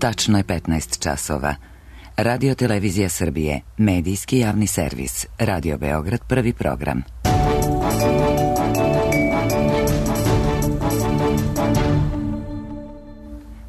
Tačno je 15 časova. Radio Televizija Srbije, medijski javni servis, Radio Beograd, prvi program.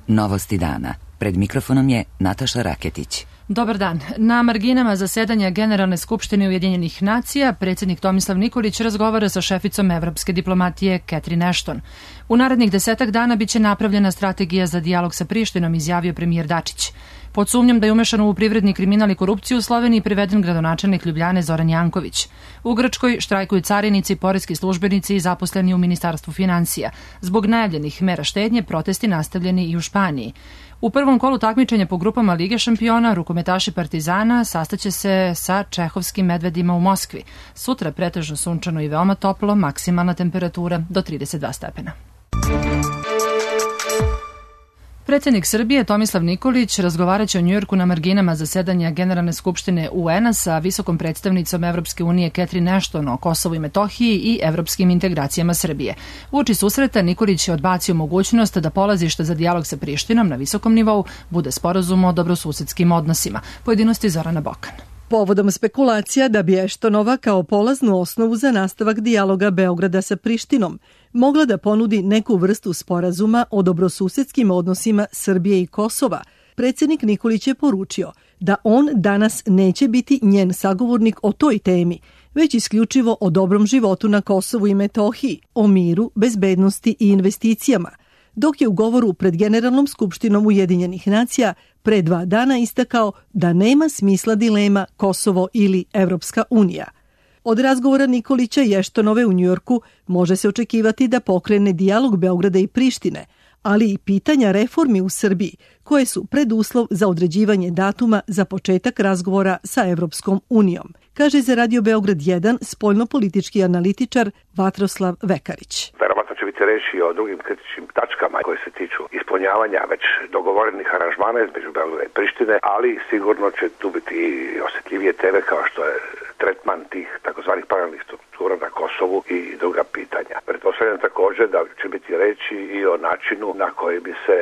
Novosti dana. Pred mikrofonom je Nataša Raketić. Dobar dan. Na marginama zasedanja Generalne skupštine Ujedinjenih nacija predsjednik Tomislav Nikolić razgovara sa šeficom evropske diplomatije Catherine Ashton. U narednih 10 dana biće napravljena strategija za dijalog sa Prištinom, izjavio premijer Dačić. Pod sumnjom da je umešan u privredni kriminal i korupciju u Sloveniji priveden gradonačelnik Ljubljane Zoran Janković. U Grčkoj štrajkuju carinici, poreski službenici i zaposleni u Ministarstvu finansija. Zbog najavljenih mera štednje protesti nastavljeni i u Španiji. U prvom kolu takmičenja po grupama Lige šampiona rukometaši Partizana sastaće se sa čehovskim Medvedima u Moskvi. Sutra pretežno sunčano i veoma toplo, maksimalna temperatura do 32 stepena. Predsjednik Srbije Tomislav Nikolić razgovaraće o Njujorku na marginama zasedanja Generalne skupštine UN-a sa visokom predstavnicom Evropske unije Catherine Ashton o Kosovu i Metohiji i evropskim integracijama Srbije. Uoči susreta Nikolić je odbacio mogućnost da polazište za dijalog sa Prištinom na visokom nivou bude sporazum o dobrosusedskim odnosima. Pojedinosti Zorana Bokan. Povodom spekulacija da bi Eštonova kao polaznu osnovu za nastavak dijaloga Beograda sa Prištinom mogla da ponudi neku vrstu sporazuma o dobrosusedskim odnosima Srbije i Kosova, predsjednik Nikolić je poručio da on danas neće biti njen sagovornik o toj temi, već isključivo o dobrom životu na Kosovu i Metohiji, o miru, bezbednosti i investicijama, dok je u govoru pred Generalnom skupštinom Ujedinjenih nacija pre 2 dana istakao da nema smisla dilema Kosovo ili Evropska unija. Od razgovora Nikolića i Eštonove u Njujorku može se očekivati da pokrene dijalog Beograda i Prištine, ali i pitanja reformi u Srbiji, koje su preduslov za određivanje datuma za početak razgovora sa Evropskom unijom, kaže za Radio Beograd 1 spoljnopolitički analitičar Vatroslav Vekarić. Verovatno će biti reći o drugim kritičnim tačkama koje se tiču ispunjavanja već dogovorenih aranžmana između Beograda i Prištine, ali sigurno će tu biti i osjetljivije teme kao što je tretman tih takozvanih paralelnih struktura na Kosovu i druga pitanja. Pretpostavljam također da će biti reći i o načinu na koji bi se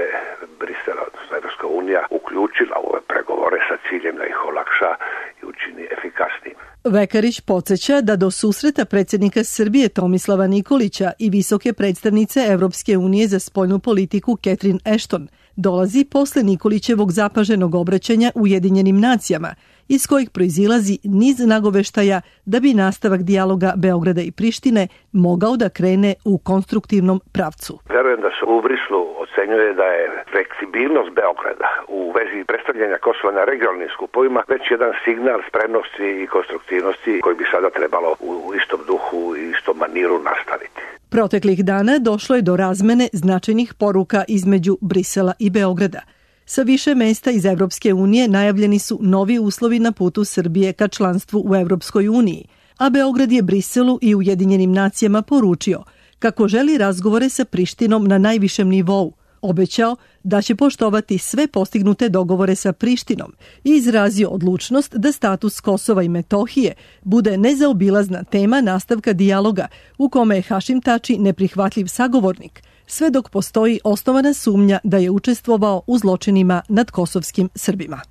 Brisel, odnosno Evropska unija, uključila u ove pregovore sa ciljem da ih olakša i učini efikasnijim. Vekarić podsjeća da do susreta predsjednika Srbije Tomislava Nikolića i visoke predstavnice Evropske unije za spoljnu politiku Catherine Ashton dolazi posle Nikolićevog zapaženog obraćanja Ujedinjenim nacijama, iz kojih proizilazi niz nagoveštaja da bi nastavak dijaloga Beograda i Prištine mogao da krene u konstruktivnom pravcu. Verujem da se u Brislu ocenjuje da je fleksibilnost Beograda u vezi predstavljanja Kosova na regionalnim skupovima već jedan signal spremnosti i konstruktivnosti koji bi sada trebalo u istom duhu i istom maniru nastaviti. Proteklih dana došlo je do razmene značajnih poruka između Brisela i Beograda. Sa više mesta iz Evropske unije najavljeni su novi uslovi na putu Srbije ka članstvu u Evropskoj uniji, a Beograd je Briselu i Ujedinjenim nacijama poručio kako želi razgovore sa Prištinom na najvišem nivou, obećao da će poštovati sve postignute dogovore sa Prištinom i izrazio odlučnost da status Kosova i Metohije bude nezaobilazna tema nastavka dijaloga u kome je Hašim Tači neprihvatljiv sagovornik, sve dok postoji osnovana sumnja da je učestvovao u zločinima nad kosovskim Srbima.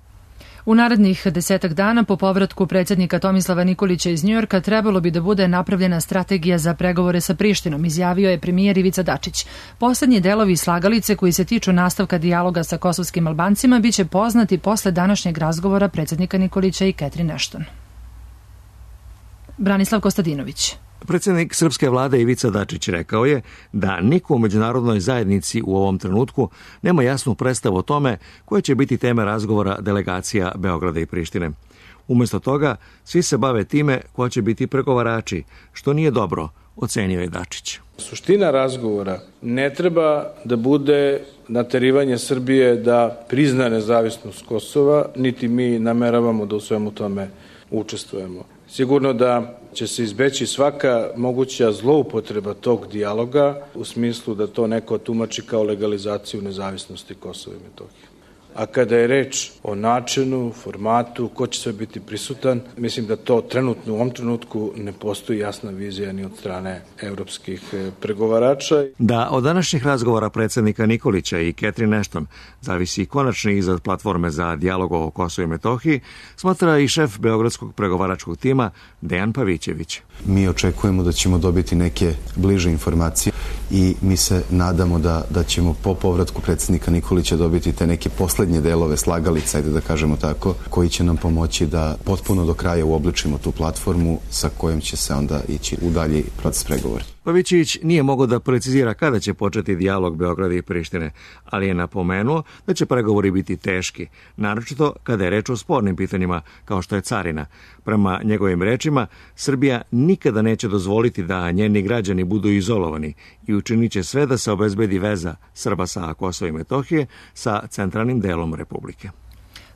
U narednih 10 dana po povratku predsjednika Tomislava Nikolića iz Njujorka trebalo bi da bude napravljena strategija za pregovore sa Prištinom, izjavio je premijer Ivica Dačić. Poslednji delovi slagalice koji se tiču nastavka dijaloga sa kosovskim Albancima biće poznati posle današnjeg razgovora predsjednika Nikolića i Catherine Ashton. Branislav Kostadinović. Predsjednik srpske vlade Ivica Dačić rekao je da niko u međunarodnoj zajednici u ovom trenutku nema jasnu predstavu o tome koje će biti teme razgovora delegacija Beograda i Prištine. Umjesto toga, svi se bave time ko će biti pregovarači, što nije dobro, ocenio je Dačić. Suština razgovora ne treba da bude naterivanje Srbije da prizna nezavisnost Kosova, niti mi nameravamo da u svemu tome učestvujemo. Sigurno da će se izbeći svaka moguća zloupotreba tog dijaloga u smislu da to neko tumači kao legalizaciju nezavisnosti Kosova i Metohije. A kada je reč o načinu, formatu, ko će sve biti prisutan, mislim da to trenutno u ovom trenutku ne postoji jasna vizija ni od strane evropskih pregovarača. Da od današnjih razgovora predsjednika Nikolića i Catherine Ashton zavisi konačni izrad platforme za dijalog o Kosovu i Metohiji, smatra i šef beogradskog pregovaračkog tima Dejan Pavićević. Mi očekujemo da ćemo dobiti neke bliže informacije i mi se nadamo da ćemo po povratku predsjednika Nikolića dobiti te neke poslednje delove slagalica, ajde da kažemo tako, koji će nam pomoći da potpuno do kraja uobličimo tu platformu sa kojom će se onda ići u dalji proces pregovora. Pavićević nije mogao da precizira kada će početi dijalog Beograda i Prištine, ali je napomenuo da će pregovori biti teški, naročito kada je reč o spornim pitanjima kao što je carina. Prema njegovim rečima, Srbija nikada neće dozvoliti da njeni građani budu izolovani i učinit će sve da se obezbedi veza Srba sa Kosova i Metohije sa centralnim delom Republike.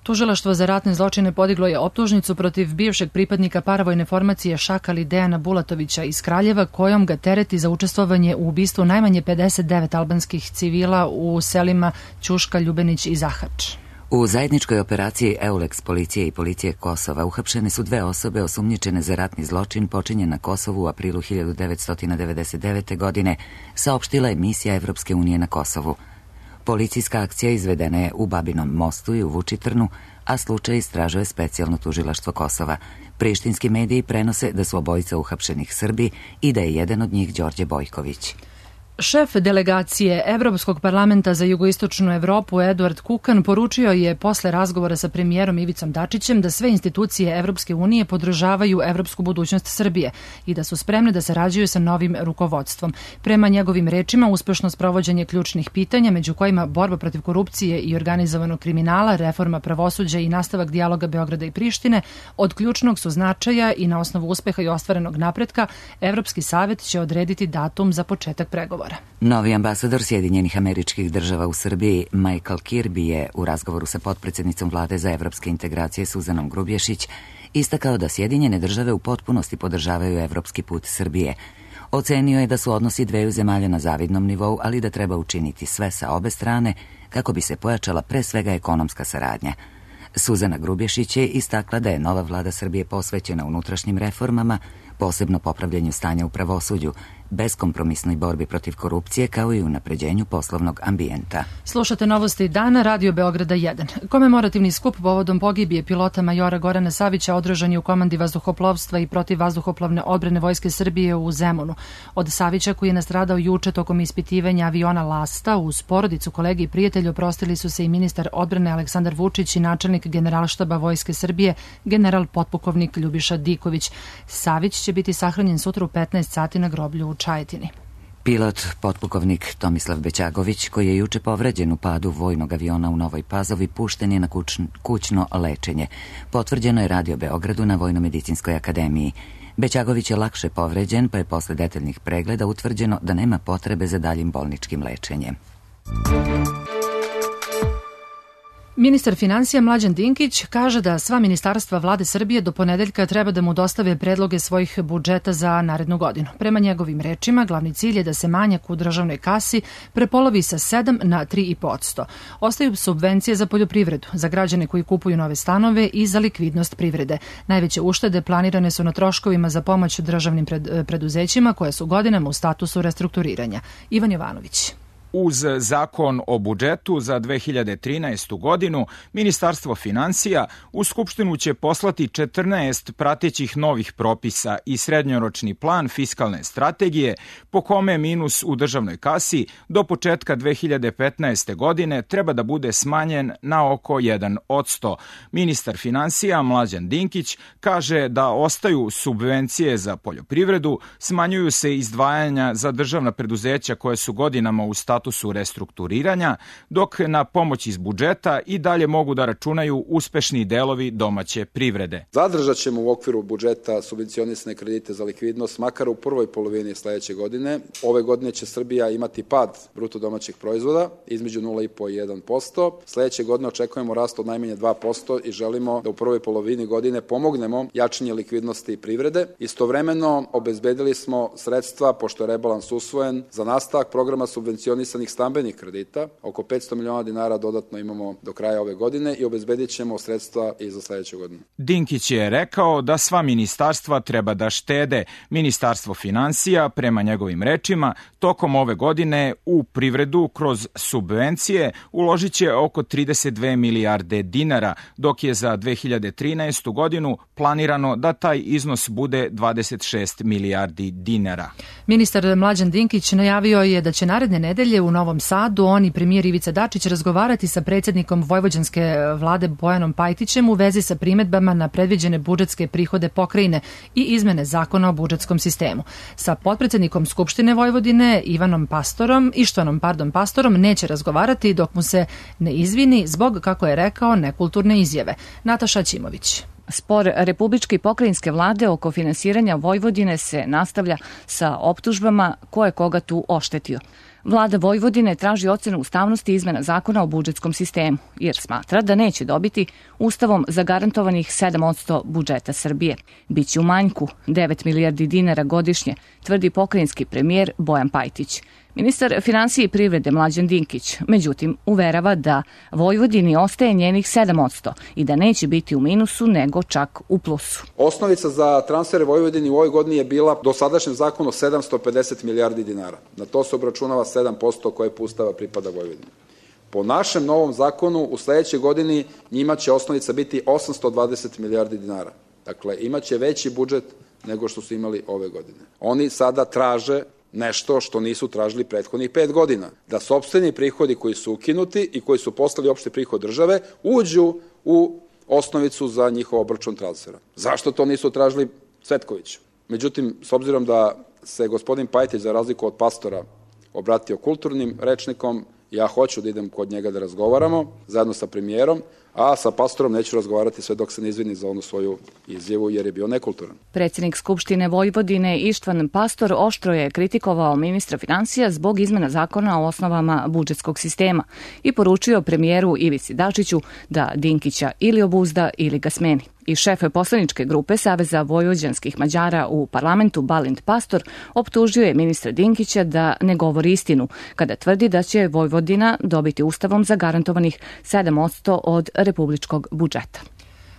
Tužilaštvo za ratne zločine podiglo je optužnicu protiv bivšeg pripadnika paravojne formacije Šakali Dejana Bulatovića iz Kraljeva, kojom ga tereti za učestvovanje u ubistvu najmanje 59 albanskih civila u selima Ćuška, Ljubenić i Zahač. U zajedničkoj operaciji EULEX policije i policije Kosova uhapšene su 2 osobe osumnjičene za ratni zločin počinjen na Kosovu u aprilu 1999. godine, saopštila je misija Evropske unije na Kosovu. Policijska akcija izvedena je u Babinom Mostu i u Vučitrnu, a slučaj istražuje specijalno tužilaštvo Kosova. Prištinski mediji prenose da su obojica uhapšenih Srbi i da je jedan od njih Đorđe Bojković. Šef delegacije Evropskog parlamenta za jugoistočnu Evropu Eduard Kukan poručio je posle razgovora sa premijerom Ivicom Dačićem da sve institucije Evropske unije podržavaju evropsku budućnost Srbije i da su spremne da sarađuju sa novim rukovodstvom. Prema njegovim rečima, uspešno sprovođenje ključnih pitanja, među kojima borba protiv korupcije i organizovanog kriminala, reforma pravosuđa i nastavak dijaloga Beograda i Prištine, od ključnog su značaja i na osnovu uspeha i ostvarenog napretka, Evropski savet će odrediti datum za početak pregovora. Novi ambasador Sjedinjenih Američkih Država u Srbiji Michael Kirby je u razgovoru sa potpredsjednicom vlade za evropske integracije Suzanom Grubješić istakao da Sjedinjene Države u potpunosti podržavaju evropski put Srbije. Ocenio je da su odnosi dveju zemalja na zavidnom nivou, ali da treba učiniti sve sa obe strane kako bi se pojačala pre svega ekonomska saradnja. Suzana Grubješić je istakla da je nova vlada Srbije posvećena unutrašnjim reformama, posebno popravljanju stanja u pravosuđu, beskompromisnoj borbi protiv korupcije kao i unapređenju poslovnog ambijenta. Slušate novosti dana, Radio Beograda 1. Komemorativni skup povodom pogibije pilota majora Gorana Savića održan je u komandi vazduhoplovstva i protivvazduhoplovne odbrane Vojske Srbije u Zemunu. Od Savića, koji je nastradao juče tokom ispitivanja aviona Lasta, uz porodicu, kolege i prijatelji oprostili su se i ministar odbrane Aleksandar Vučić i načelnik Generalštaba Vojske Srbije, general potpukovnik Ljubiša Diković. Savić će biti sahranjen sutra u 15 sati na groblju u Čajetini. Pilot, potpukovnik Tomislav Bećagović, koji je juče povređen u padu vojnog aviona u Novoj Pazovi, pušten je na kućno lečenje. Potvrđeno je Radio Beogradu na Vojno-medicinskoj akademiji. Bećagović je lakše povređen, pa je posle detaljnih pregleda utvrđeno da nema potrebe za daljim bolničkim lečenjem. Ministar finansija Mlađan Dinkić kaže da sva ministarstva vlade Srbije do ponedeljka treba da mu dostave predloge svojih budžeta za narednu godinu. Prema njegovim rečima, glavni cilj je da se manjak u državnoj kasi prepolovi sa 7 na 3,5%. Ostaju subvencije za poljoprivredu, za građane koji kupuju nove stanove i za likvidnost privrede. Najveće uštede planirane su na troškovima za pomoć državnim preduzećima koja su godinama u statusu restrukturiranja. Ivan Jovanović. Uz zakon o budžetu za 2013. godinu, Ministarstvo finansija u Skupštinu će poslati 14 pratećih novih propisa i srednjoročni plan fiskalne strategije, po kome minus u državnoj kasi do početka 2015. godine treba da bude smanjen na oko 1%. Ministar finansija Mlađan Dinkić kaže da ostaju subvencije za poljoprivredu, smanjuju se izdvajanja za državna preduzeća koje su godinama u statusu restrukturiranja, dok na pomoć iz budžeta i dalje mogu da računaju uspešni delovi domaće privrede. Zadržat ćemo u okviru budžeta subvencionisane kredite za likvidnost, makar u prvoj polovini sledeće godine. Ove godine će Srbija imati pad bruto domaćeg proizvoda između 0,5 i 1%. Sledeće godine očekujemo rast od najmanje 2% i želimo da u prvoj polovini godine pomognemo jačanje likvidnosti privrede. Istovremeno obezbedili smo sredstva, pošto je rebalans usvojen, za nastavak programa subvencionisane subvencionisanih stambenih kredita, oko 500 miliona dinara dodatno imamo do kraja ove godine i obezbedit ćemo sredstva i za sledeću godinu. Dinkić je rekao da sva ministarstva treba da štede. Ministarstvo finansija, prema njegovim rečima, tokom ove godine u privredu kroz subvencije uložit će oko 32 milijarde dinara, dok je za 2013. godinu planirano da taj iznos bude 26 milijardi dinara. Ministar Mlađan Dinkić najavio je da će naredne nedelje u Novom Sadu on i premijer Ivica Dačić razgovarati sa predsjednikom vojvođanske vlade Bojanom Pajtićem u vezi sa primedbama na predviđene budžetske prihode pokrajine i izmene zakona o budžetskom sistemu. Sa potpredsjednikom Skupštine Vojvodine Ištvanom Pastorom neće razgovarati dok mu se ne izvini zbog, kako je rekao, nekulturne izjave. Nataša Ćimović. Spor republičke i pokrajinske vlade oko finansiranja Vojvodine se nastavlja sa optužbama ko je koga tu oštetio. Vlada Vojvodine traži ocenu ustavnosti izmena zakona o budžetskom sistemu, jer smatra da neće dobiti ustavom zagarantovanih 7% budžeta Srbije. Biće u manjku 9 milijardi dinara godišnje, tvrdi pokrajinski premijer Bojan Pajtić. Ministar finansije i privrede Mlađan Dinkić, međutim, uverava da Vojvodini ostaje njenih 7% i da neće biti u minusu, nego čak u plusu. Osnovica za transfere Vojvodini u ovoj godini je bila do sadašnjem zakonu 750 milijardi dinara. Na to se obračunava 7% koje po Ustava pripada Vojvodini. Po našem novom zakonu u sledećoj godini njima će osnovica biti 820 milijardi dinara. Dakle, imaće veći budžet nego što su imali ove godine. Oni sada traže nešto što nisu tražili prethodnih 5 godina. Da sopstveni prihodi koji su ukinuti i koji su postali opšti prihod države uđu u osnovicu za njihov obračun transfera. Zašto to nisu tražili Cvetković? Međutim, s obzirom da se gospodin Pajtić za razliku od Pastora obratio kulturnim rečnikom, ja hoću da idem kod njega da razgovaramo zajedno sa premijerom, a sa Pastorom neću razgovarati sve dok se ne izvini za onu svoju izjavu jer je bio nekulturan. Predsjednik Skupštine Vojvodine Ištvan Pastor oštro je kritikovao ministra finansija zbog izmena zakona o osnovama budžetskog sistema i poručio premijeru Ivici Dačiću da Dinkića ili obuzda ili ga smeni. I šef poslaničke grupe Saveza vojvođanskih Mađara u parlamentu Balint Pastor optužio je ministra Dinkića da ne govori istinu kada tvrdi da će Vojvodina dobiti ustavom zagarantovanih 7% od republičkog budžeta.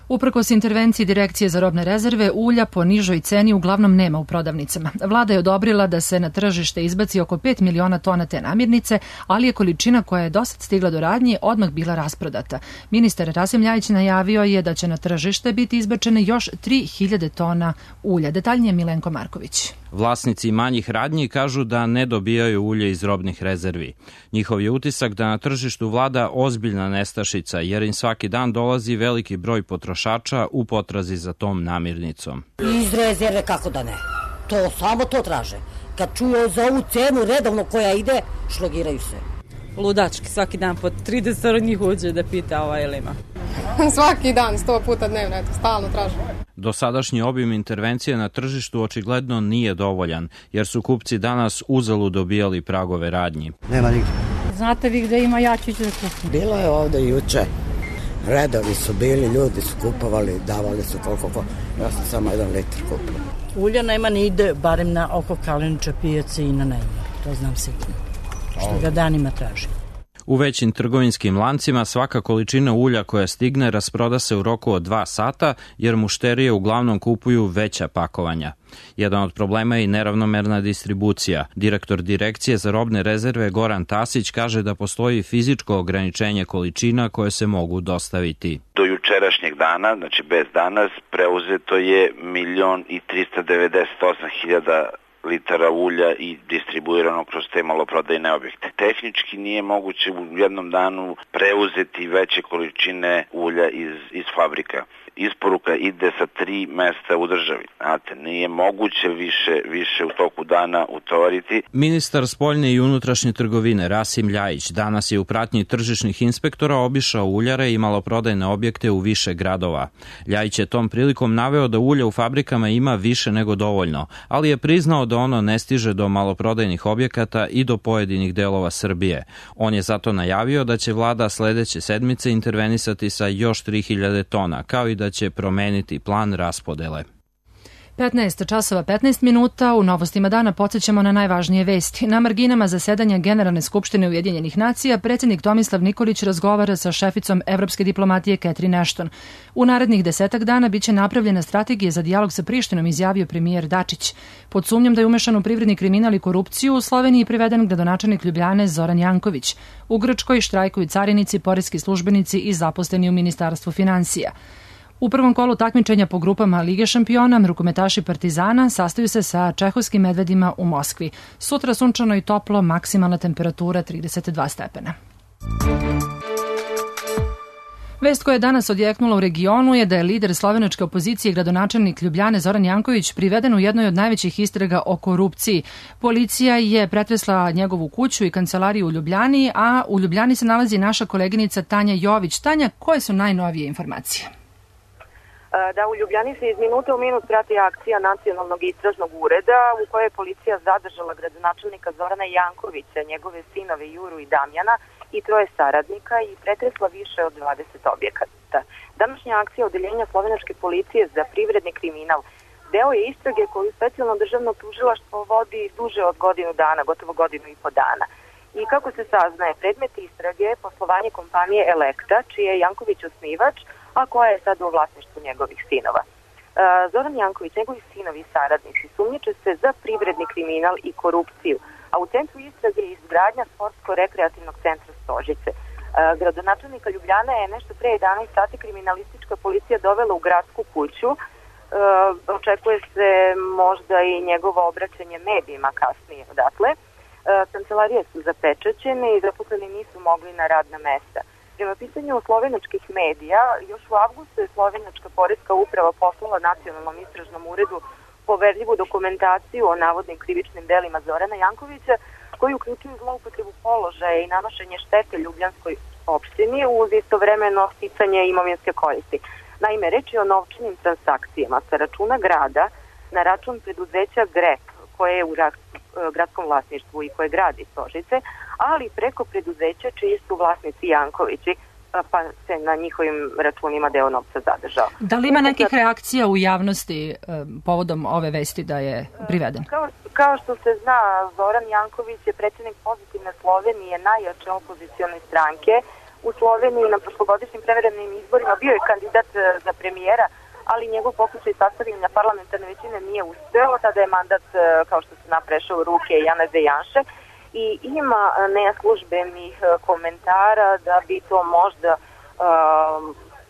Uprkos intervenciji Direkcije za robne rezerve, ulja po nižoj ceni uglavnom nema u prodavnicama. Vlada je odobrila da se na tržište izbaci oko 5 miliona tona te namirnice, ali je količina koja je dosad stigla do radnje odmah bila rasprodata. Ministar Rasim Ljajić najavio je da će na tržište biti izbačene još 3000 tona ulja. Detaljnije Milenko Marković. Vlasnici manjih radnji kažu da ne dobijaju ulje iz robnih rezervi. Njihov je utisak da na tržištu vlada ozbiljna nestašica, jer im svaki dan dolazi veliki broj potrošača u potrazi za tom namirnicom. Iz rezerve kako da ne? Samo to traže. Kad čuju za ovu cenu redovno koja ide, šlogiraju se. Ludački, svaki dan po 30 njih uđe da pita ili ima. Svaki dan, 100 puta dnevno, stalno traže. Dosadašnji obim intervencije na tržištu očigledno nije dovoljan, jer su kupci danas uzalud dobijali pragove radnji. Nema nigde. Znate vi gde ima, ja ću da kupim. Bilo je ovde juče. Redovi su bili, ljudi su kupovali, davali su koliko. Ja sam samo 1 litar kupio. Ulja nema ni ide, barem na oko Kalenića pijace i na Najmor. To znam sigurno. Što ga danima traži. U većim trgovinskim lancima svaka količina ulja koja stigne rasproda se u roku od 2 sata, jer mušterije uglavnom kupuju veća pakovanja. Jedan od problema je i neravnomerna distribucija. Direktor Direkcije za robne rezerve Goran Tasić kaže da postoji fizičko ograničenje količina koje se mogu dostaviti. Do jučerašnjeg dana, znači bez danas, preuzeto je 1.398.000 litara ulja i distribuirano kroz te maloprodajne objekte. Tehnički nije moguće u jednom danu preuzeti veće količine ulja iz fabrika. Isporuka ide sa 3 mesta u državi. Znate, nije moguće više u toku dana utovariti. Ministar spoljne i unutrašnje trgovine Rasim Ljajić danas je u pratnji tržišnih inspektora obišao uljare i maloprodajne objekte u više gradova. Ljajić je tom prilikom naveo da ulja u fabrikama ima više nego dovoljno, ali je priznao da ono ne stiže do maloprodajnih objekata i do pojedinih delova Srbije. On je zato najavio da će vlada sledeće sedmice intervenisati sa još 3000 tona, kao i da će promeniti plan raspodele. 15 časova 15 minuta, u novostima dana podsjećamo na najvažnije vesti. Na marginama zasedanja Generalne skupštine Ujedinjenih nacija predsjednik Tomislav Nikolić razgovara sa šeficom evropske diplomatije Catherine Ashton. U narednih 10 dana biće napravljena strategija za dijalog sa Prištinom, izjavio premijer Dačić. Pod sumnjom da je umešan u privredni kriminal i korupciju, u Sloveniji priveden gradonačelnik Ljubljane Zoran Janković. U Grčkoj štrajkuju carinici, poreski službenici i zaposleni u Ministarstvu finansija. U prvom kolu takmičenja po grupama Lige šampiona rukometaši Partizana sastaju se sa čehovskim Medvedima u Moskvi. Sutra sunčano i toplo, maksimalna temperatura 32 stepena. Vest koja je danas odjeknula u regionu je da je lider slovenačke opozicije i gradonačelnik Ljubljane Zoran Janković priveden u jednoj od najvećih istraga o korupciji. Policija je pretresla njegovu kuću i kancelariju u Ljubljani, a u Ljubljani se nalazi naša koleginica Tanja Jović. Tanja, koje su najnovije informacije? Da, u Ljubljani se iz minute u minut prati akcija Nacionalnog istražnog ureda u kojoj je policija zadržala gradonačelnika Zorana Jankovića, njegove sinove Juru i Damjana i 3 saradnika i pretresla više od 20 objekata. Današnja akcija odeljenja slovenačke policije za privredni kriminal deo je istrage koju specijalno državno tužilaštvo vodi duže od godinu dana, gotovo godinu i po dana. I kako se saznaje, predmet istrage je poslovanje kompanije Elekta, čiji je Janković osnivač, a koja je sada u vlasništvu njegovih sinova. Zoran Janković, njegovi sinovi i saradnici sumnjiče se za privredni kriminal i korupciju, a u centru istrage je izgradnja sportsko-rekreativnog centra Stožice. Gradonačelnika Ljubljana je nešto pre 11 sati kriminalistička policija dovela u gradsku kuću. Očekuje se možda i njegovo obraćanje medijima kasnije odatle. Kancelarije su zapečaćene i zaposleni nisu mogli na radna mesta. Prema pitanju slovenačkih medija, još u avgustu je slovenačka poreska uprava poslala Nacionalnom istražnom uredu poverljivu dokumentaciju o navodnim krivičnim delima Zorana Jankovića, koji uključuju zloupotrebu položaja i nanošenje štete Ljubljanskoj opštini uz istovremeno sticanje imovinske koristi. Naime, reč je o novčanim transakcijama sa računa grada na račun preduzeća GREP, koje je u gradskom vlasništvu i koje gradi Stožice, ali preko preduzeća čiji su vlasnici Jankovići, pa se na njihovim računima deo novca zadržao. Da li ima nekih reakcija u javnosti povodom ove vesti da je priveden? Kao što se zna, Zoran Janković je predsjednik Pozitivne Slovenije, najjače opozicione stranke. U Sloveniji na prošlogodišnjim preverenim izborima bio je kandidat za premijera, ali njegov pokušaj sastavljanja parlamentarne većine nije uspeo. Tada je mandat, kao što se prešao u ruke Janeza Janše, i ima neslužbenih komentara da bi to možda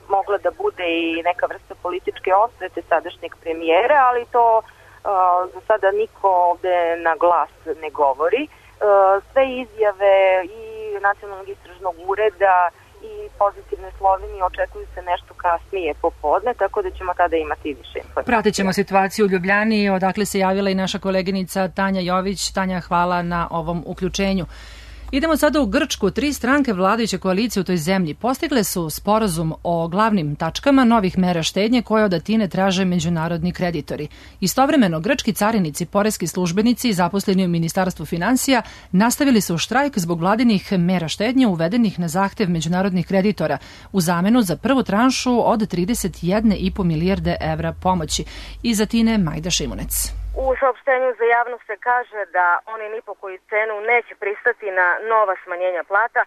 mogla da bude i neka vrsta političke osvete sadašnjeg premijera, ali to za sada niko ovde na glas ne govori. Sve izjave i Nacionalnog istražnog ureda i Pozitivne Slovenije očekuju se nešto kasnije popodne, tako da ćemo tada imati više informacije. Pratit ćemo situaciju u Ljubljani, odakle se javila i naša koleginica Tanja Jović. Tanja, hvala na ovom uključenju. Idemo sada u Grčku. 3 stranke vladajuće koalicije u toj zemlji postigle su sporazum o glavnim tačkama novih mera štednje koje od Atine traže međunarodni kreditori. Istovremeno, grčki carinici, poreski službenici i zaposleni u Ministarstvu finansija nastavili su štrajk zbog vladinih mera štednje uvedenih na zahtev međunarodnih kreditora u zamenu za prvu tranšu od 31,5 milijarde evra pomoći. Iz Atine Majda Šimunec. U saopštenju za javnost se kaže da oni ni po koju cenu neće pristati na nova smanjenja plata,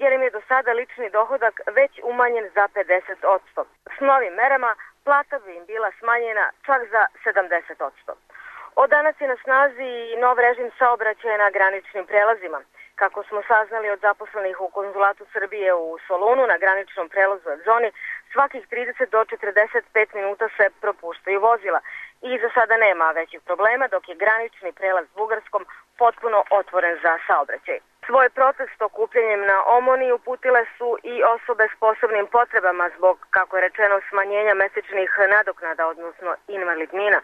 jer im je do sada lični dohodak već umanjen za 50%. S novim merama plata bi im bila smanjena čak za 70%. Od danas je na snazi i nov režim saobraćaja na graničnim prelazima. Kako smo saznali od zaposlenih u Konzulatu Srbije u Solunu na graničnom prelazu Adzoni, svakih 30 do 45 minuta se propuštaju vozila i za sada nema većih problema, dok je granični prelaz s Bugarskom potpuno otvoren za saobraćaj. Svoj protest okupljanjem na Omoni uputile su i osobe s posebnim potrebama zbog, kako je rečeno, smanjenja mesečnih nadoknada, odnosno invalidnina,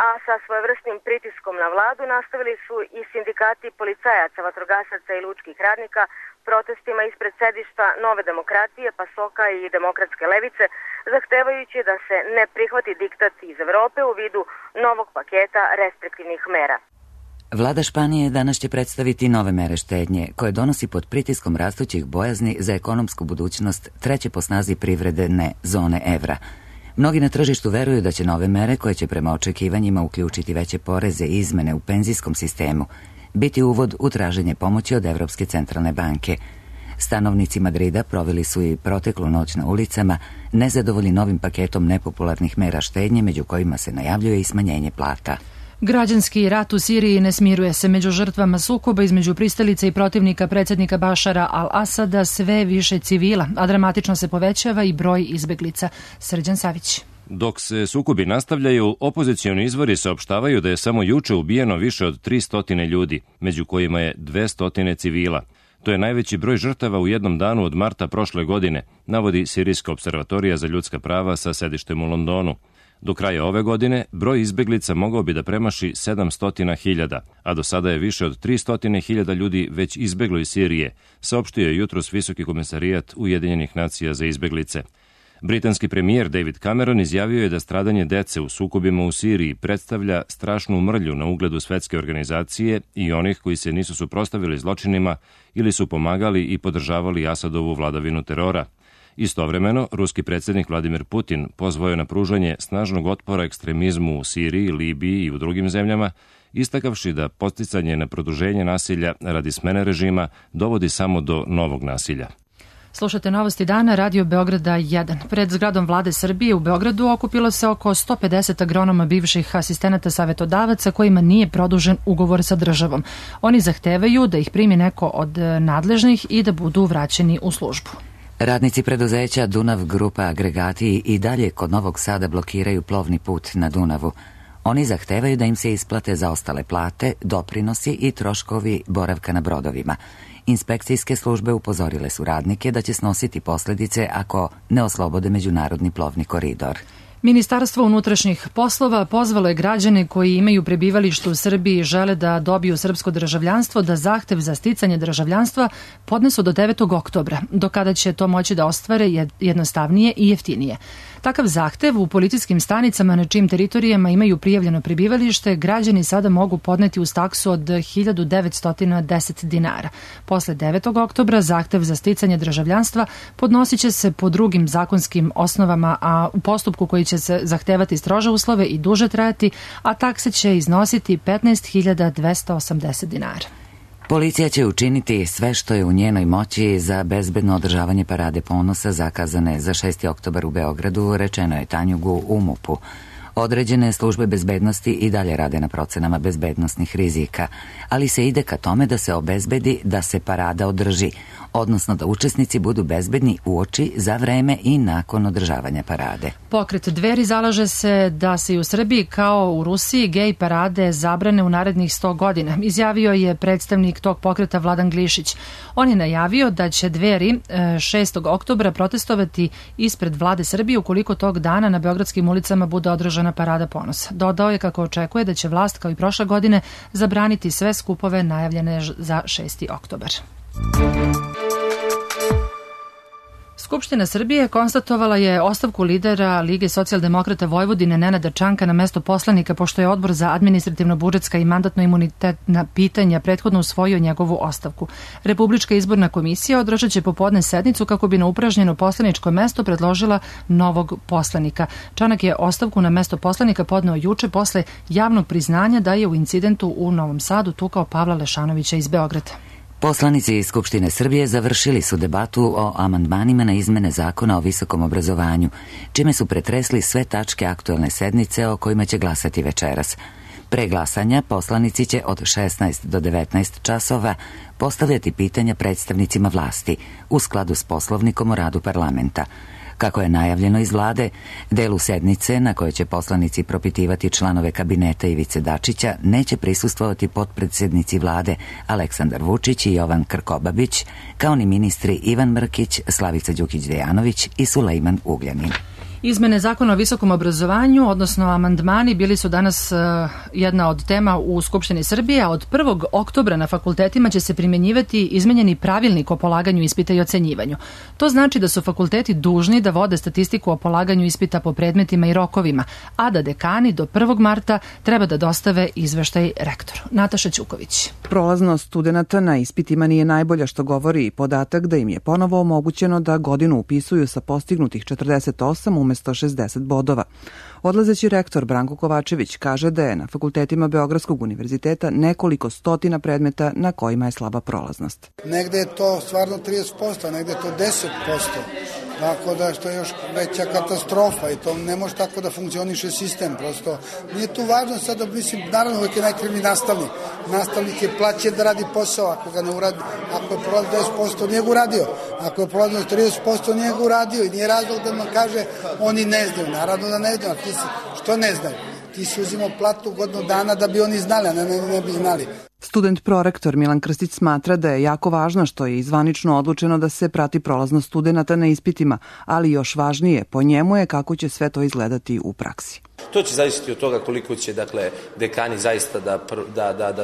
a sa svojevrsnim pritiskom na vladu nastavili su i sindikati policajaca, vatrogasaca i lučkih radnika protestima ispred sedišta Nove demokratije, PASOK-a i Demokratske levice, zahtevajući da se ne prihvati diktat iz Evrope u vidu novog paketa restriktivnih mera. Vlada Španije danas će predstaviti nove mere štednje, koje donosi pod pritiskom rastućih bojazni za ekonomsku budućnost treće po snazi privredne zone evra. Mnogi na tržištu veruju da će nove mere, koje će prema očekivanjima uključiti veće poreze i izmene u penzijskom sistemu, biti uvod u traženje pomoći od Evropske centralne banke. Stanovnici Madrida proveli su i proteklu noć na ulicama, nezadovoljni novim paketom nepopularnih mera štednje, među kojima se najavljuje i smanjenje plata. Građanski rat u Siriji ne smiruje se. Među žrtvama sukoba između pristalica i protivnika predsjednika Bašara al-Asada sve više civila, a dramatično se povećava i broj izbeglica. Srđan Savić. Dok se sukobi nastavljaju, opozicioni izvori saopštavaju da je samo juče ubijeno više od 300 ljudi, među kojima je 200 civila. To je najveći broj žrtava u jednom danu od marta prošle godine, navodi Sirijska observatorija za ljudska prava sa sedištem u Londonu. Do kraja ove godine broj izbeglica mogao bi da premaši 700.000, a do sada je više od 300.000 ljudi već izbeglo iz Sirije, saopštio je jutros Visoki komesarijat Ujedinjenih nacija za izbeglice. Britanski premijer David Cameron izjavio je da stradanje dece u sukobima u Siriji predstavlja strašnu mrlju na ugledu svetske organizacije i onih koji se nisu suprotstavili zločinima ili su pomagali i podržavali Asadovu vladavinu terora. Istovremeno, ruski predsjednik Vladimir Putin pozvao je na pružanje snažnog otpora ekstremizmu u Siriji, Libiji i u drugim zemljama, istakavši da podsticanje na produženje nasilja radi smene režima dovodi samo do novog nasilja. Slušate Novosti dana, Radio Beograda 1. Pred zgradom Vlade Srbije u Beogradu okupilo se oko 150 agronoma bivših asistenata savetodavaca kojima nije produžen ugovor sa državom. Oni zahtevaju da ih primi neko od nadležnih i da budu vraćeni u službu. Radnici preduzeća Dunav Grupa Agregati i dalje kod Novog Sada blokiraju plovni put na Dunavu. Oni zahtevaju da im se isplate zaostale plate, doprinosi i troškovi boravka na brodovima. Inspekcijske službe upozorile su radnike da će snositi posljedice ako ne oslobode međunarodni plovni koridor. Ministarstvo unutrašnjih poslova pozvalo je građane koji imaju prebivalište u Srbiji i žele da dobiju srpsko državljanstvo da zahtev za sticanje državljanstva podnesu do 9. oktobra, do kada će to moći da ostvare jednostavnije i jeftinije. Takav zahtev u policijskim stanicama na čijim teritorijama imaju prijavljeno prebivalište građani sada mogu podneti uz taksu od 1910 dinara. Posle 9. oktobra zahtev za sticanje državljanstva podnosit će se po drugim zakonskim osnovama, a u postupku koji će se zahtevati strože uslove i duže trajati, a takse će iznositi 15.280 dinara. Policija će učiniti sve što je u njenoj moći za bezbedno održavanje Parade ponosa zakazane za 6. oktobar u Beogradu, rečeno je Tanjugu u MUP-u. Određene službe bezbednosti i dalje rade na procenama bezbednosnih rizika, ali se ide ka tome da se obezbedi da se parada održi, odnosno da učesnici budu bezbedni uoči, za vreme i nakon održavanja parade. Pokret Dveri zalaže se da se i u Srbiji kao u Rusiji gej parade zabrane u narednih 100 godina, izjavio je predstavnik tog pokreta Vladan Glišić. On je najavio da će Dveri 6. oktobra protestovati ispred Vlade Srbije ukoliko tog dana na beogradskim ulicama bude održana Parada ponosa. Dodao je kako očekuje da će vlast kao i prošle godine zabraniti sve skupove najavljene za 6. oktobar. Skupština Srbije konstatovala je ostavku lidera Lige socijaldemokrata Vojvodine Nenada Čanka na mesto poslanika, pošto je Odbor za administrativno-budžetska i mandatno-imunitetna pitanja prethodno usvojio njegovu ostavku. Republička izborna komisija održat će popodne sednicu kako bi na upražnjeno poslaničko mesto predložila novog poslanika. Čanak je ostavku na mesto poslanika podneo juče posle javnog priznanja da je u incidentu u Novom Sadu tukao Pavla Lešanovića iz Beograda. Poslanici Skupštine Srbije završili su debatu o amandmanima na izmene zakona o visokom obrazovanju, čime su pretresli sve tačke aktuelne sednice o kojima će glasati večeras. Pre glasanja poslanici će od 16 do 19 časova postavljati pitanja predstavnicima vlasti u skladu s Poslovnikom o radu parlamenta. Kako je najavljeno iz vlade, delu sednice na kojoj će poslanici propitivati članove kabineta Ivice Dačića neće prisustvovati potpredsednici vlade Aleksandar Vučić i Jovan Krkobabić, kao ni ministri Ivan Mrkić, Slavica Đukić-Dejanović i Sulejman Ugljanin. Izmene zakona o visokom obrazovanju, odnosno amandmani, bili su danas jedna od tema u Skupštini Srbije, a od 1. oktobra na fakultetima će se primjenjivati izmenjeni pravilnik o polaganju ispita i ocenjivanju. To znači da su fakulteti dužni da vode statistiku o polaganju ispita po predmetima i rokovima, a da dekani do 1. marta treba da dostave izveštaj rektoru. Nataša Ćuković. Prolaznost studenata na ispitima nije najbolja, što govori i podatak da im je ponovo omogućeno da godinu upisuju sa postignutih 48 umesto 60 bodova. Odlazeći rektor Branko Kovačević kaže da je na fakultetima Beogradskog univerziteta nekoliko stotina predmeta na kojima je slaba prolaznost. Negde je to stvarno 30%, negde je to 10%. Tako da što je još veća katastrofa i to ne može tako da funkcioniše sistem. Prosto nije tu važno sada, mislim, naravno uvijek je najkrivniji nastavnik. Nastavnik je plaćen da radi posao, ako ga ne uradi, ako je prolazno 10% nije ga uradio, ako je prolazno 30% nije ga uradio i nije razlog da nam kaže oni ne znaju. Naravno da ne znaju, ti si, što ne znaju? Ti si uzimao platu godinu dana da bi oni znali, a ne bi znali. Student prorektor Milan Krstić smatra da je jako važno što je zvanično odlučeno da se prati prolaznost studenata na ispitima, ali još važnije po njemu je kako će sve to izgledati u praksi. To će zavisiti od toga koliko će dekani zaista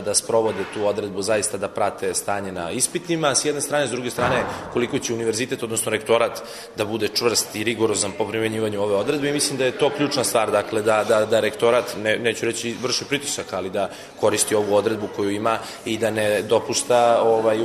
da sprovode tu odredbu, zaista da prate stanje na ispitima, s jedne strane, s druge strane koliko će univerzitet, odnosno rektorat, da bude čvrst i rigorozan po primenjivanju ove odredbe i mislim da je to ključna stvar, dakle da rektorat, neću reći vrši pritisak, ali da koristi ovu odredbu koju ima i da ne dopušta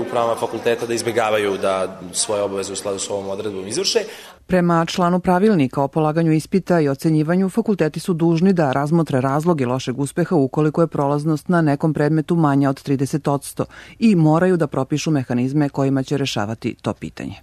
upravama fakulteta da izbegavaju da svoje obaveze u skladu s ovom odredbom izvrše. Prema članu pravilnika o polaganju ispita i ocenjivanju, fakulteti su dužni da razmotre razloge lošeg uspeha ukoliko je prolaznost na nekom predmetu manja od 30% i moraju da propišu mehanizme kojima će rešavati to pitanje.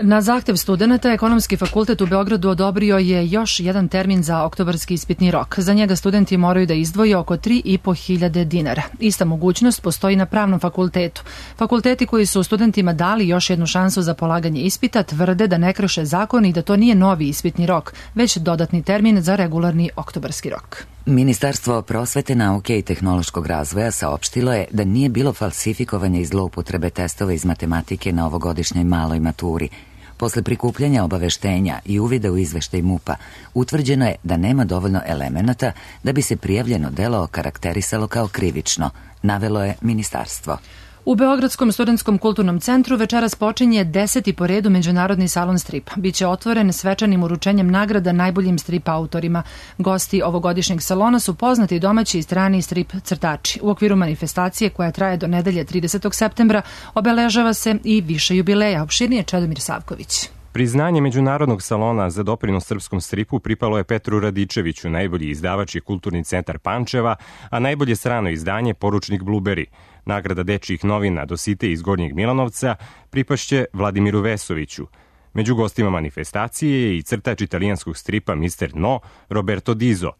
Na zahtev studenta, Ekonomski fakultet u Beogradu odobrio je još jedan termin za oktobarski ispitni rok. Za njega studenti moraju da izdvoje oko 3.500 dinara. Ista mogućnost postoji na Pravnom fakultetu. Fakulteti koji su studentima dali još jednu šansu za polaganje ispita tvrde da ne krše zakon i da to nije novi ispitni rok, već dodatni termin za regularni oktobarski rok. Ministarstvo prosvete, nauke i tehnološkog razvoja saopštilo je da nije bilo falsifikovanja i zloupotrebe testova iz matematike na ovogodišnjoj maloj maturi. Posle prikupljanja obaveštenja i uvida u izveštaj MUP-a, utvrđeno je da nema dovoljno elemenata da bi se prijavljeno delo okarakterisalo kao krivično, navelo je ministarstvo. U Beogradskom studentskom kulturnom centru večeras počinje 10. po redu Međunarodni salon stripa. Biće otvoren svečanim uručenjem nagrada najboljim strip autorima. Gosti ovogodišnjeg salona su poznati domaći i strani strip crtači. U okviru manifestacije koja traje do nedelje 30. septembra obeležava se i više jubileja. Opširnije Čedomir Savković. Priznanje Međunarodnog salona za doprinos srpskom stripu pripalo je Petru Radičeviću, najbolji izdavač i kulturni centar Pančeva, a najbolje strano izdanje Poručnik Blueberry. Nagrada dečijih novina Dosite iz Gornjeg Milanovca pripašće Vladimiru Vesoviću. Među gostima manifestacije je i crtač italijanskog stripa Mr. No, Roberto Dizo.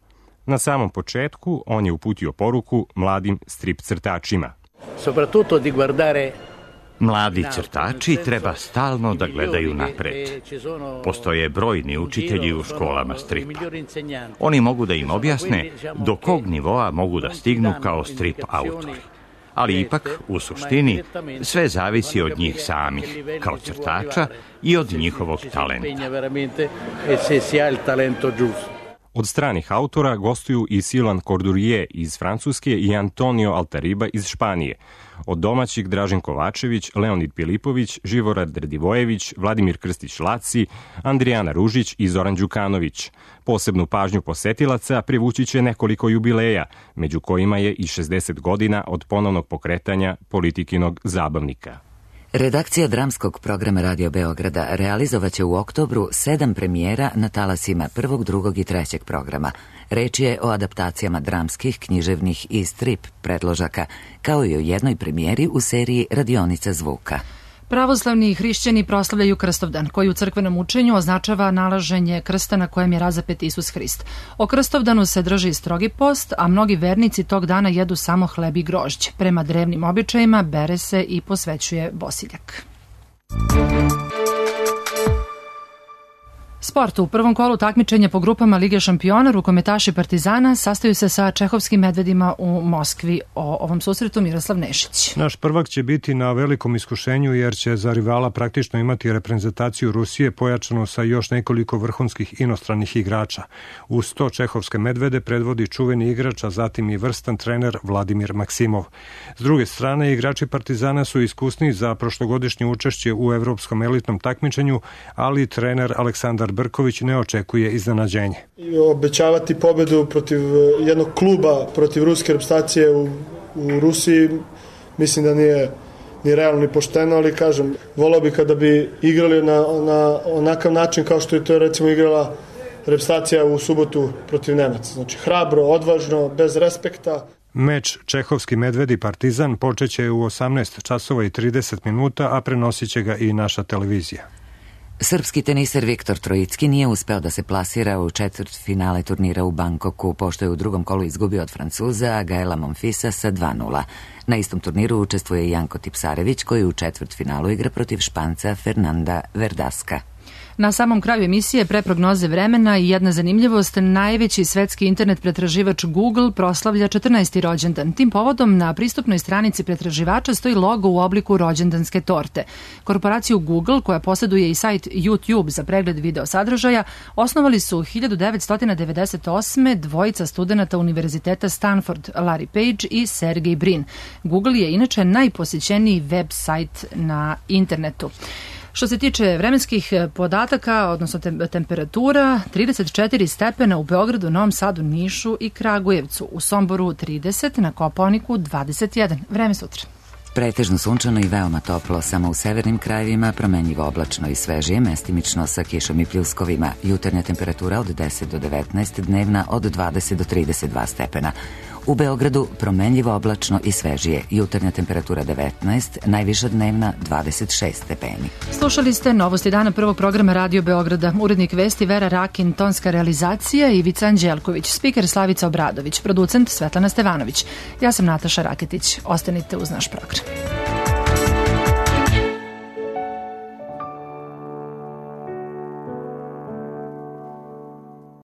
Na samom početku on je uputio poruku mladim strip crtačima. Soprattutto di guardare. Mladi crtači treba stalno da gledaju napred. Postoje brojni učitelji u školama stripa. Oni mogu da im objasne do kog nivoa mogu da stignu kao strip autori. Ali ipak, u suštini, sve zavisi od njih samih, kao crtača i od njihovog talenta. Od stranih autora gostuju i Silan Cordurier iz Francuske i Antonio Altariba iz Španije. Od domaćih Dražen Kovačević, Leonid Pilipović, Živorad Radivojević, Vladimir Krstić-Laci, Andrijana Ružić i Zoran Đukanović. Posebnu pažnju posetilaca privući će nekoliko jubileja, među kojima je i 60 godina od ponovnog pokretanja Politikinog zabavnika. Redakcija dramskog programa Radio Beograda realizovaće u oktobru 7 premijera na talasima 1., 2. i 3. programa. Reč je o adaptacijama dramskih, književnih i strip predložaka, kao i o jednoj premijeri u seriji Radionica zvuka. Pravoslavni i hrišćani proslavljaju Krstovdan, koji u crkvenom učenju označava nalaženje krsta na kojem je razapet Isus Hrist. O Krstovdanu se drži strogi post, a mnogi vernici tog dana jedu samo hleb i grožđe. Prema drevnim običajima bere se i posvećuje bosiljak. Sport. U prvom kolu takmičenja po grupama Lige šampiona rukometaši Partizana sastaju se sa čehovskim medvedima u Moskvi. O ovom susretu Miroslav Nešić. Naš prvak će biti na velikom iskušenju jer će za rivala praktično imati reprezentaciju Rusije pojačanu sa još nekoliko vrhunskih inostranih igrača. Uz to čehovske medvede predvodi čuveni igrač, a zatim i vrstan trener Vladimir Maksimov. S druge strane, igrači Partizana su iskusni za prošlogodišnje učešće u evropskom elitnom takmičenju, ali trener Aleksandar Brković ne očekuje iznenađenje. Obećavati pobedu protiv jednog kluba, protiv ruske reprezentacije u Rusiji, mislim da nije ni realno ni pošteno, ali kažem, volao bi kada bi igrali na onakav način kao što je to recimo igrala reprezentacija u subotu protiv Nemaca. Znači hrabro, odvažno, bez respekta. Meč Čehovski Medvedi Partizan počeće u 18 časova i 30 minuta, a prenosit će ga i naša televizija. Srpski teniser Viktor Trojicki nije uspeo da se plasira u četvrtfinale turnira u Bangkoku, pošto je u drugom kolu izgubio od Francuza Gaela Monfisa sa 2:0. Na istom turniru učestvuje i Janko Tipsarević, koji u četvrtfinalu igra protiv Španca Fernanda Verdaska. Na samom kraju emisije pre prognoze vremena i jedna zanimljivost, najveći svetski internet pretraživač Google proslavlja 14. rođendan. Tim povodom na pristupnoj stranici pretraživača stoji logo u obliku rođendanske torte. Korporaciju Google, koja posjeduje i sajt YouTube za pregled video sadržaja, osnovali su 1998. dvojica studenata Univerziteta Stanford, Larry Page i Sergey Brin. Google je inače najposjećeniji web sajt na internetu. Što se tiče vremenskih podataka, odnosno temperatura, 34 stepena u Beogradu, Novom Sadu, Nišu i Kragujevcu, u Somboru 30, na Kopaoniku 21. Vreme sutra. Pretežno sunčano i veoma toplo, samo u severnim krajevima promenljivo oblačno i svežije, mestimično sa kišom i pljuskovima. Jutarnja temperatura od 10 do 19, dnevna od 20 do 32 stepena. U Beogradu promenljivo oblačno i svežije, jutarnja temperatura 19, najviša dnevna 26 stepeni. Slušali ste novosti dana prvog programa Radio Beograda. Urednik vesti Vera Rakin, tonska realizacija Ivica Anđelković, spiker Slavica Obradović, producent Svetlana Stevanović. Ja sam Nataša Raketić. Ostanite uz naš program.